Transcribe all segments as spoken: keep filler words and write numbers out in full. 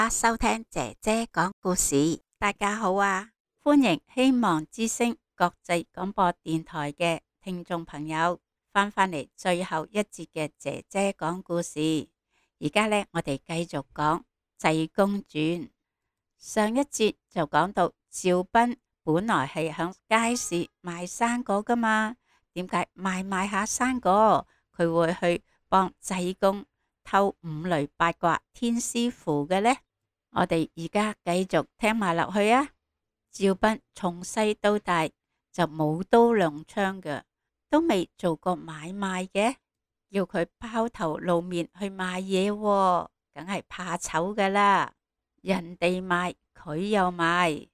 家收聽姐姐講故事。大家好啊，歡迎希望之聲國際廣播電台嘅聽眾朋友翻返嚟最後一節嘅姐姐講故事。而家呢，我哋繼續講濟公傳。上一節就講到趙斌本來係響街市賣生果噶嘛，點解賣賣下生果佢會去幫濟公偷五雷八卦天師符嘅呢？我哋而家繼續聽埋落去啊！趙斌從細到大就冇刀兩槍嘅，都未做過買賣嘅，要佢拋頭露面去賣嘢喎，梗係怕醜噶啦。人哋賣佢又賣，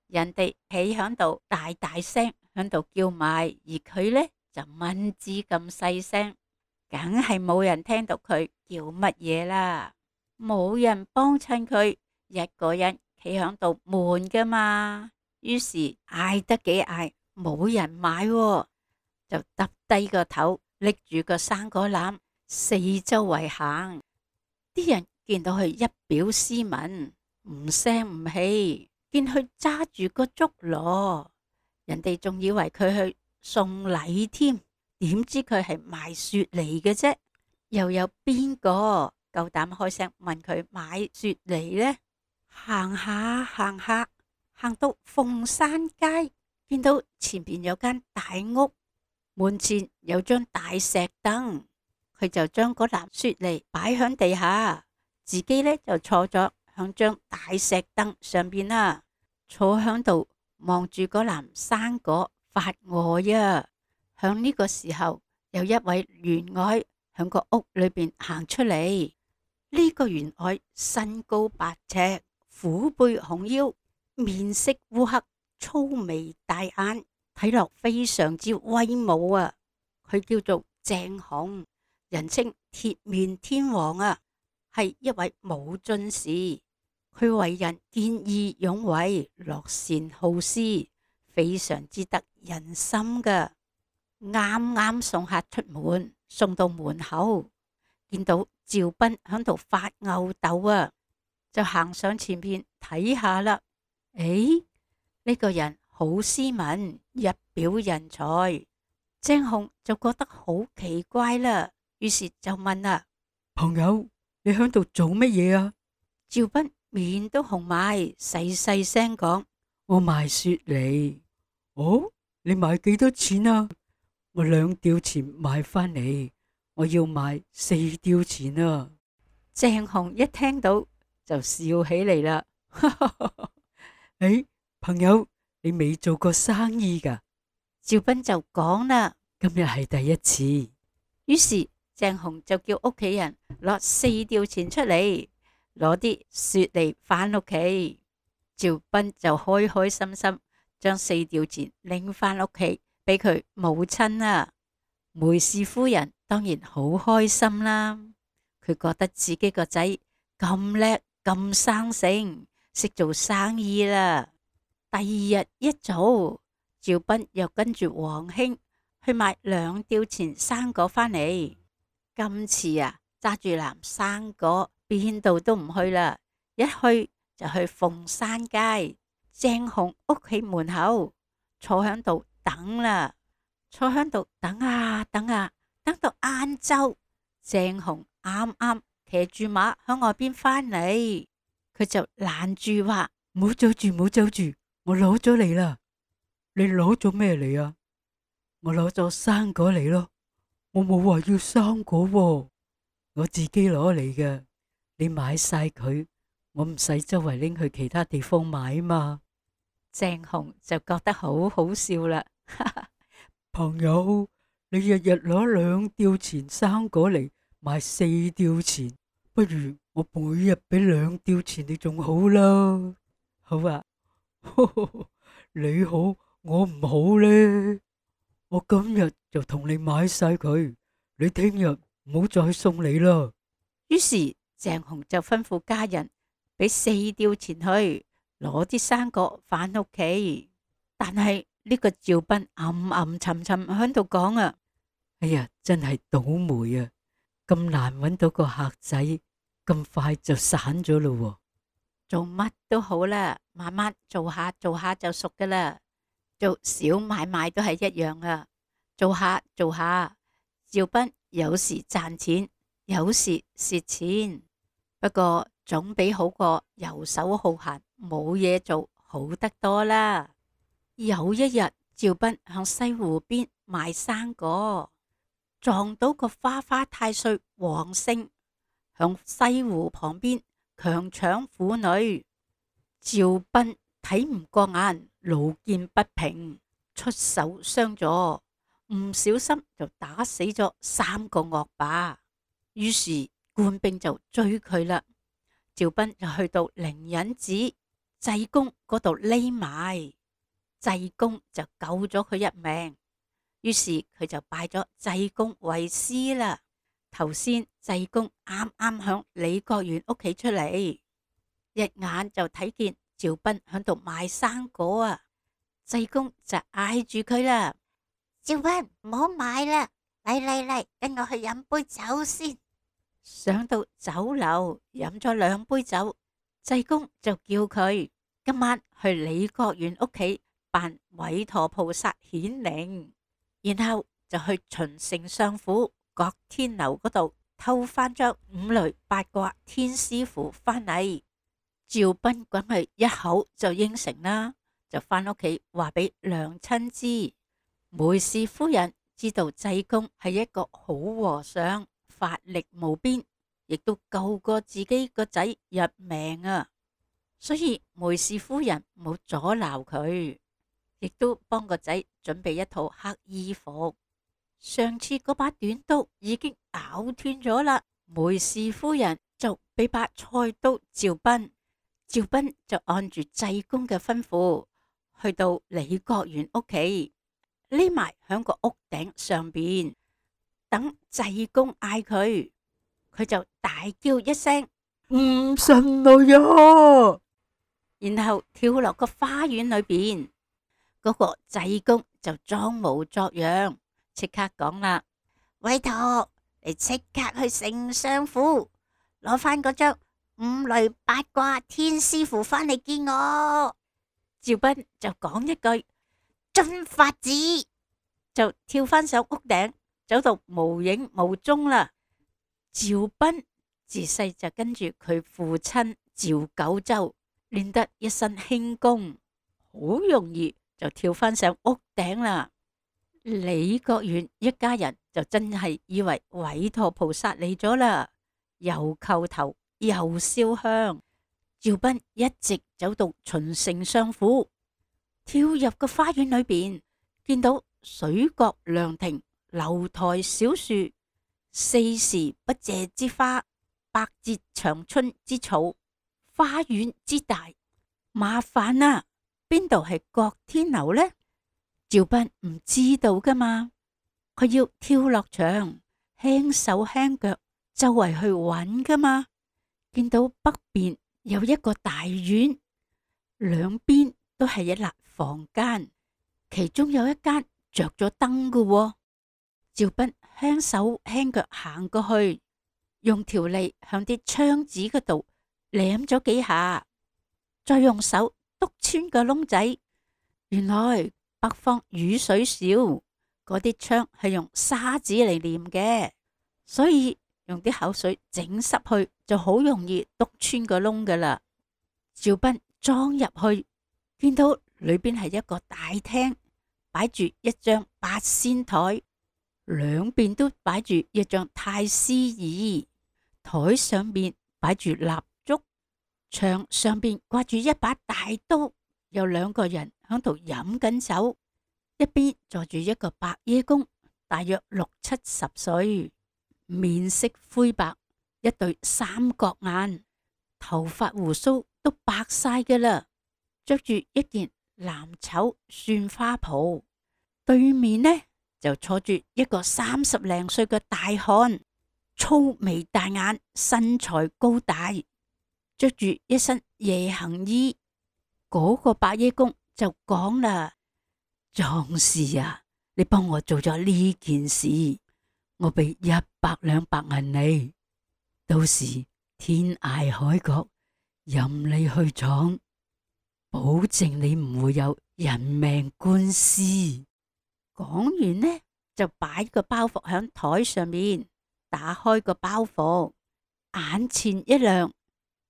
人哋企響度大大聲響度叫賣，而佢呢就蚊子咁細聲，梗係冇人聽到佢叫乜嘢啦，冇人幫襯佢，一個人企響度悶噶嘛。於是嗌得幾嗌，冇人買喎，就耷低個頭，拎住個生果籃，四周圍行。啲人見到佢一表斯文，唔聲唔氣，見佢揸住個竹籮，人哋仲以為佢去送禮添。點知佢係賣雪梨嘅啫，又有邊個夠膽開聲問佢買雪梨呢？行下行下，行到鳳山街，見到前邊有間大屋，門前有張大石凳，佢就將嗰籃雪梨擺響地下，自己呢就坐咗響張大石凳上邊啦，坐響度望住嗰籃生果發呆啊！響呢個時候，有一位員外響個屋裏邊行出嚟。呢個員外身高八尺，虎背熊腰，面色烏黑，粗眉大眼，睇落非常之威武啊！佢叫做鄭雄，人稱鐵面天王啊，係一位武進士。佢為人見義勇為，樂善好施，非常之得人心噶。啱啱送客出門，送到門口，見到趙斌響度發吽哣啊，就行上前邊睇下啦。誒，呢個人好斯文，一表人才。鄭雄就覺得好奇怪啦，於是就問啦：朋友，你響度做乜嘢啊？趙斌面都紅埋，細細聲講：我賣雪梨。哦，你賣幾多錢啊？我兩吊錢買返嚟，我要賣四吊錢啊！鄭雄一聽到就笑起嚟啦。誒，朋友，你未做過生意噶？趙斌就講啦：今日係第一次。於是鄭雄就叫屋企人攞四吊錢出嚟，攞啲雪梨返屋企。趙斌就開開心心將四吊錢拎返屋企俾佢母親啊。梅氏夫人當然好開心啦，佢覺得自己個仔咁叻咁生性，識做生意啦。第二日一早，趙斌又跟住王兄去買兩吊錢生果返嚟。今次啊，揸住籃生果邊度都唔去啦，一去就去鳳山街鄭雄屋企門口坐響度等啦。坐響度等啊等啊，等到晏晝，鄭雄啱啱騎住馬響外邊返嚟，佢就攔住話：唔好走住，唔好走住，我攞咗嚟啦。你攞咗咩嚟啊？我攞咗生果嚟咯。我冇話要生果喎，我自己攞嚟嘅。你買晒佢，我唔使周圍拎去其他地方買嘛。鄭雄就覺得好好笑啦。朋友，你日日攞兩吊錢生果嚟賣四吊錢，不如我每日俾兩吊錢你仲好啦。好啊。呵呵，你好，我唔好呢？我今日就同你買晒佢，你聽日唔好再送你啦。於是鄭雄就吩咐家人俾四吊錢去攞啲生果返屋企，但係呢個趙斌暗暗沉沉喺度講啊：哎呀，真係倒霉啊！咁難揾到個客仔，咁快就散咗咯。做乜都好啦，慢慢做下做下就熟噶啦。做小買賣都係一樣啊，做下做下，趙斌有時賺錢，有時蝕錢，不過總比好過游手好閒冇嘢做好得多啦。有一日，趙斌向西湖邊賣生果，撞到個花花太歲黃勝，向西湖旁邊強搶婦女。趙斌睇唔過眼，路見不平，出手相助，唔小心就打死咗三個惡霸。於是官兵就追佢啦。趙斌就去到靈隱寺濟公嗰度匿埋，濟公就救咗佢一命。於是佢就拜咗濟公為師啦。頭先濟公啱啱響李國元屋企出嚟，一眼就睇見趙斌響度賣生果啊！濟公就嗌住佢啦：趙斌，唔好買啦，嚟嚟嚟，跟我去飲杯酒先。上到酒樓飲咗兩杯酒，濟公就叫佢今晚去李國元屋企扮韋陀菩薩顯靈，然後就去秦丞相府郭天樓嗰度偷翻張五雷八卦天師符翻嚟。趙斌梗係一口就應承啦，就翻屋企話俾娘親知。梅氏夫人知道濟公係一個好和尚，法力無邊，亦都救過自己個仔入命啊，所以梅氏夫人冇阻撓佢，亦都幫個仔準備一套黑衣服。上次嗰把短刀已經咬斷咗啦，梅氏夫人就俾把菜刀趙斌，趙斌就按住濟公嘅吩咐，去到李國元屋企，匿埋響個屋頂上邊，等濟公嗌佢，佢就大叫一聲唔信我呀，然後跳落個花園裏邊。嗰、那個濟公就裝模作樣，即刻講啦：韋陀，你即刻去丞相府攞翻嗰張五雷八卦天師符翻嚟見我。趙斌就講一句遵法子，就跳翻上屋頂，走到無影無蹤啦。趙斌自細就跟住佢父親趙九州練得一身輕功，好容易就跳翻上屋頂啦。李國元一家人就真係以為韋陀菩薩嚟咗啦，又叩頭又燒香。趙斌一直走到秦丞相府，跳入個花園裏邊，見到水閣涼亭、樓台小樹、四時不謝之花、百節長春之草，花園之大，麻煩啊！邊度係郭天樓呢？趙斌唔知道噶嘛，佢要跳落牆，輕手輕腳周圍去揾噶嘛。見到北邊有一個大院，兩邊都係一立房間，其中有一間着咗燈噶喎。趙斌輕手輕腳行過去，用條脷向啲窗子嗰度舐咗幾下，再用手篤穿個窿仔。原來北方雨水少，嗰啲窗係用沙子嚟黏嘅，所以用啲口水整濕去就好容易篤穿個窿噶啦。趙斌裝入去，見到裏邊係一個大廳，擺住一張八仙台，兩邊都擺住一張太師椅，台上邊擺住蠟燭，牆上邊掛住一把大刀，有兩個人響度飲緊酒，一邊坐住一個白耶公，大約六七十歲，面色灰白，一對三角眼，頭髮鬍鬚都白晒㗎啦，着住一件藍綢繻花袍。對面呢就坐住一個三十零歲嘅大漢，粗眉大眼，身材高大，着住一身夜行衣。嗰、那個白耶公就講啦：壯士啊，你幫我做咗呢件事，我俾一百兩白銀你，到時天涯海角任你去闖，保證你唔會有人命官司。講完呢，就擺個包袱響台上面，打開個包袱，眼前一亮，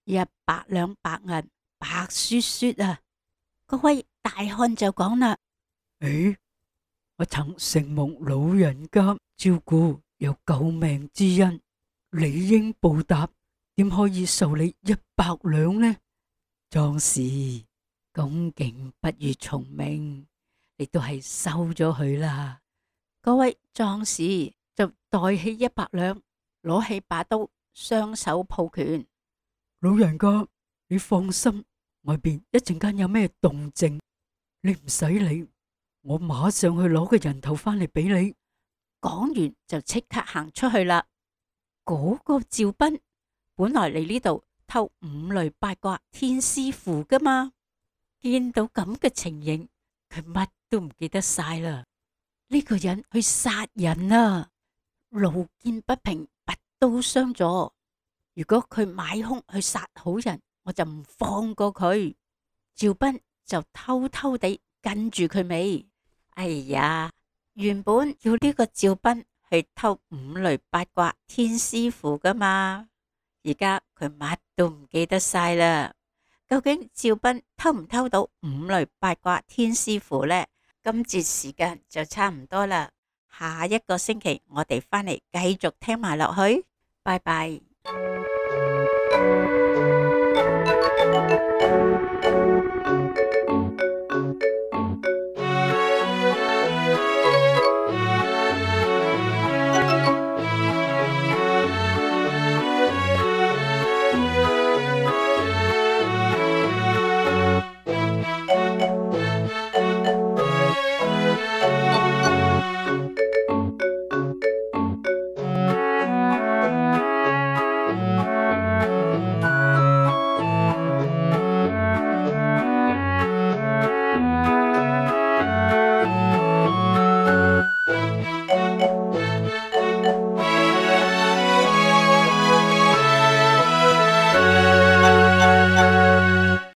一百兩白銀白雪雪啊！嗰位大漢就講啦：誒，我曾承蒙老人家照顧，有救命之恩，理應報答，點可以受你一百兩呢？壯士，恭敬不如從命，你都係收咗佢啦。嗰位壯士就袋起一百兩，攞起把刀，雙手抱拳。老人家，你放心，外邊一陣間有咩動靜，你唔使理，我馬上去攞個人頭翻嚟俾你。講完就即刻行出去啦。嗰個趙斌本來嚟呢度偷五雷八卦天師符噶嘛，見到咁嘅情形，佢乜都唔記得晒啦。呢個人去殺人啊，路見不平拔刀相助。如果佢買兇去殺好人，我就唔放過佢。趙斌就偷偷地跟住佢尾。哎呀，原本要呢個趙斌去偷五雷八卦天師符噶嘛，而家佢乜都唔記得晒啦。究竟趙斌偷唔偷到五雷八卦天師符呢？今節時間就差唔多啦，下一個星期我哋返嚟繼續聽埋落去，拜拜。